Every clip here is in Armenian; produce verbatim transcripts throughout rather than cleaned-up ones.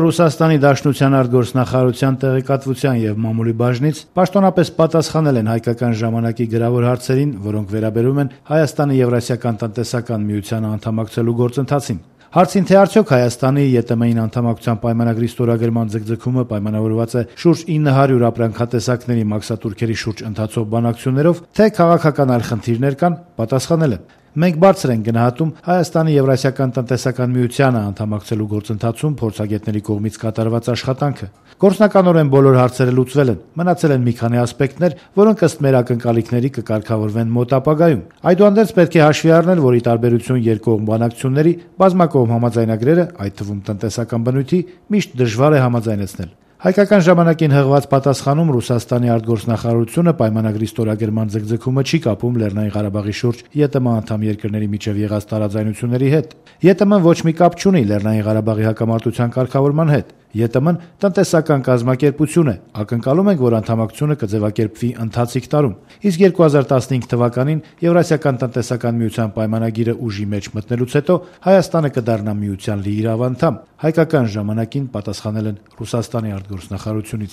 Ռուսաստանի Դաշնության արտգործնախարարության տեղեկատվության եւ մամուլի բաժնից պաշտոնապես պատասխանել են հայկական ժամանակի գրավոր հարցերին, որոնք վերաբերում են Հայաստանի Եվրասիական տնտեսական միությանը անդամակցելու գործընթացին։ Հարցին, թե արդյոք Հայաստանի ԵՏՄ-ին անդամակցության պայմանագրի ստորագրման ձգձգումը պայմանավորված է շուրջ ինը հարյուր ապրանքատեսակների մաքսատուրքերի շուրջ ընթացող բանակցություններով, թե քաղաքական այլ խնդիրներ կան, պատասխանել է. Մենք բարձր ենք գնահատում Հայաստանի Եվրասիական տնտեսական միությանը անդամակցելու գործընթացում փորձագետների կողմից կատարված աշխատանքը։ Գործնականորեն բոլոր հարցերը լուծվել են, մնացել են մի քանի ասպեկտներ, որոնք ըստ մեր ակնկալիքների կկարգավորվեն մոտ ապագայում։ Այդուհանդերձ պետք է հաշվի առնել, որ ի տարբերություն երկկողմ բանակցությունների, բազմակողմ համաձայնագրերը, այդ թվում տնտեսական բնույթի, միշտ դժվար է համաձայնեցնել։ Հայկական ժամանակին հղված պատասխանում Ռուսաստանի արտգործնախարարությունը պայմանագրի ստորագրման ձգձգումը չի կապում Լեռնային Ղարաբաղի շուրջ ԵՏՄ անդամ երկրների միջև եղած տարաձայնությունների հետ։ ԵՏՄ-ն ոչ մի կապ չունի Լեռնային Ղարաբաղի հակամարտության կարգավորման հետ։ ԵՏՄ-ն տնտեսական կազմակերպություն է, ակնկալում ենք, որ անդամակցությունը կձևակերպվի ընթացիկ տարում։ Իսկ երկու հազար տասնհինգ թվականին Եվրասիական տնտեսական միության պայմանագիրը ուժի մեջ մտնելուց հետո Հայաստանը կդառնա միության լիիրավ անդամ։ Հայկական ժամանակին պատասխանել են Ռուսաստանի արտգործնախարարությունից։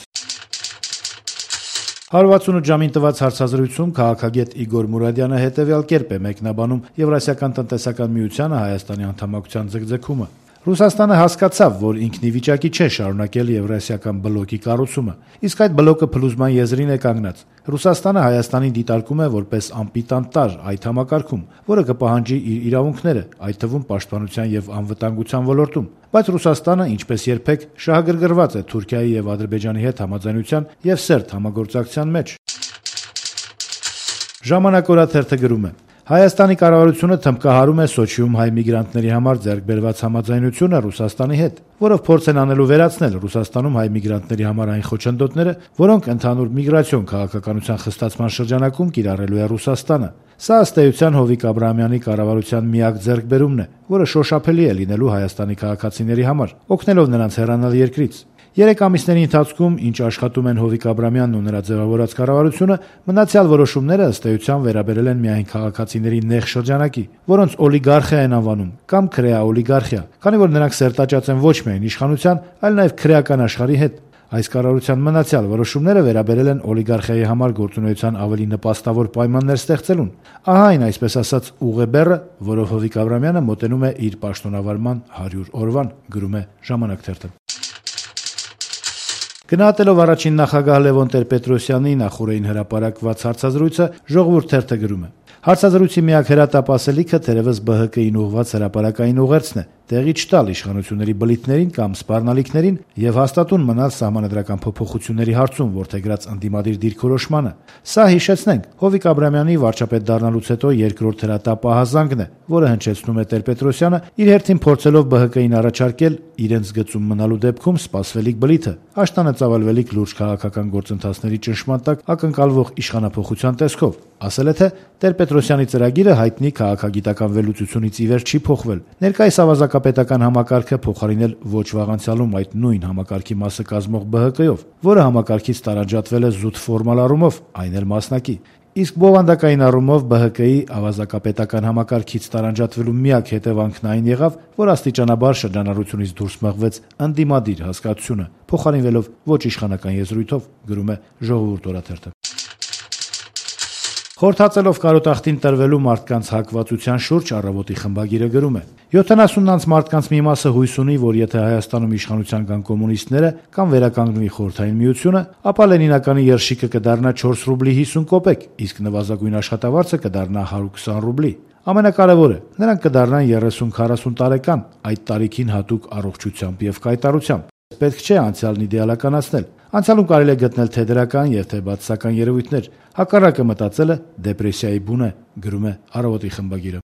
հարյուրվաթսունութ ժամին տված հարցազրույցում քաղաքագետ Իգոր Մուրադյանը հետևյալ կերպ է մեկնաբանում Եվրասիական տնտեսական միությանը Հայաստանի անդամակցության ձգձգումը։ Ռուսաստանը հասկացավ, որ ինքն ի վիճակի չէ շարունակել Եվրասիական բլոկի կառուցումը, իսկ այդ բլոկը փլուզման եզրին է կանգնած։ Ռուսաստանը Հայաստանին դիտարկում է որպես անպիտան տարր այդ համակարգում, որը կպահանջի իր իրավունքները, այդ թվում պաշտպանության եւ անվտանգության ոլորտում։ Բայց Ռուսաստանը, ինչպես երբեք, շահագրգռված է Թուրքիայի եւ Ադրբեջանի հետ համաձայնության եւ սերտ համագործակցության մեջ։ Ժամանակ օրաթերթը գրում է. Հայաստանի կառավարությունը թմբկահարում է Սոչիում հայ միգրանտների համար ձեռք բերված համաձայնությունը Ռուսաստանի հետ, որով փորձ են անելու վերացնել Ռուսաստանում հայ միգրանտների համար այն խոչընդոտները, որոնք ընդհանուր միգրացիոն քաղաքականության խստացման շրջանակում կիրառելու է Ռուսաստանը։ Սա ըստ էության Հովիկ Աբրահամյանի կառավարության միակ ձեռքբերումն է, որը շոշափելի է լինելու Հայաստանի քաղաքացիների համար, օգնելով նրանց հեռանալ երկրից։ Երեք ամիսների ընթացքում, ինչ աշխատում են Հովիկ Աբրահամյանն ու նրա ձևավորած կառավարությունը, մնացյալ որոշումները ըստ էության վերաբերել են միայն քաղաքացիների նեղ շրջանակի, որոնց օլիգարխիա են անվանում, կամ քրեա-օլիգարխիա, քանի որ նրանք սերտաճած են ոչ միայն իշխանության, այլ նաև քրեական աշխարհի հետ։ Այս կառավարության մնացյալ որոշումները վերաբերել են օլիգարխիայի համար գործունեության ավելի նպաստավոր պայմաններ ստեղծելուն։ Ահա այն, այսպես ասած, ուղեբեռը, որով Հովիկ Աբրահամյանը մոտենում է իր պաշտոնավարման հարյուր օրվան, գրում է Ժամանակ թերթը։ Գնահատելով առաջին նախագահ Լևոն Տեր-Պետրոսյանի նախորդին հրապարակված հարցազրույցը, Ժողովուրդ թերթը գրում է. Հարցազրույցի միակ հրատապ-ասելիքը թերևս Բ Հ Կ-ին ուղղված հրապարակային ուղերձն է, տեղի չտալ իշխանությունների բլիթներին կամ սպառնալիքներին եւ հաստատուն մնալ սահմանադրական փոփոխությունների հարցում որդեգրած ընդդիմադիր դիրքորոշմանը։ Սա, հիշեցնենք, Հովիկ Աբրահամյանի վարչապետ դառնալուց հետո երկրորդ հրատապ-ահազանգն է, որը հնչեցնում է Տեր-Պետրոսյանը, իր հերթին փորձելով Բ Հ Կ-ին առաջարկել իրենց գծում մնալու դեպքում սպասվելիք բլիթը, աշտանը ծավալվելիք լուրջ քաղաքական գործընթացների ճնշման տակ ակնկալվող իշխանափոխության տեսքով։ Ասել է, թե Տեր-Պետրոսյանի ծրագիրը հայտնի քաղաքագիտական վերլուծությունից ի վեր չի փոխվել։ Ներկայիս ավազակապետական համակարգը փոխարինել ոչ վաղ անցյալում այդ նույն համակարգի մասը կազմող Բ Հ Կ-ով, որը համակարգից տարանջատվել է զուտ ֆորմալ առումով, այն էլ մասնակի։ Իսկ բովանդակային առումով Բ Հ Կ-ի ավազակապետական համակարգից տարանջատվելու միակ հետևանքն այն եղավ, որ աստիճանաբար շրջանառությունից դուրս մղվեց ընդդիմադիր հասկացությունը, փոխարինվելով ոչ իշխանական եզրույթով, գրում է Ժողովուրդ օրաթերթը։ Խորհրդածելով կարոտախտին տրվելու մարդկանց հակվածության շուրջ Առավոտի խմբագիրը գրում է. յոթանասուննանց մարդկանց մի մասը հույս ունի, որ եթե Հայաստանում իշխանության կան կոմունիստները կամ վերականգնվի Խորհրդային Միությունը, ապա Լենինականի երշիկը կդառնա չորս ռուբլի հիսուն կոպեկ, իսկ նվազագույն աշխատավարձը կդառնա հարյուր քսան ռուբլի։ Ամենակարևորը, նրանք կդառնան երեսուն-քառասուն տարեկան, այդ տարիքին հատուկ առողջությամբ եւ կայտարությամբ։ Պետք չէ անցյալն իդեալականացնել։ Անցյալում կարելի է գտնել թե դրական եւ թե բացասական երևույթներ։ Հակառակը մտածելը դեպրեսիայի բուն է, գրում է Առավոտի խմբագիրը։